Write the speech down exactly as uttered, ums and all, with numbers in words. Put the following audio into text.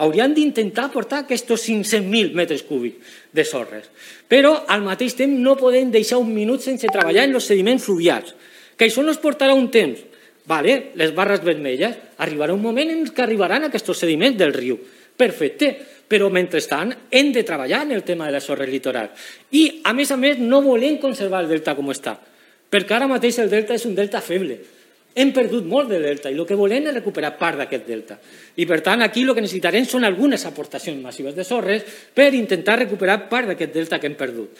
Haurien d'intentar portar aquests cinc-cents mil metres cúbics de sorres. Però al mateix temps no podem deixar un minut sense treballar en els sediments fluvials, que això no es portarà un temps. Vale, les barres vermelles, arribarà un moment en què arribaran aquests sediments del riu. Perfecte, però mentrestant hem de treballar en el tema de les sorres litorals. I, a més a més, no volem conservar el delta com està, perquè ara mateix el delta és un delta feble. Hem perdut molt de delta i el que volem és recuperar part d'aquest delta. I, per tant, aquí el que necessitarem són algunes aportacions massives de sorres per intentar recuperar part d'aquest delta que hem perdut.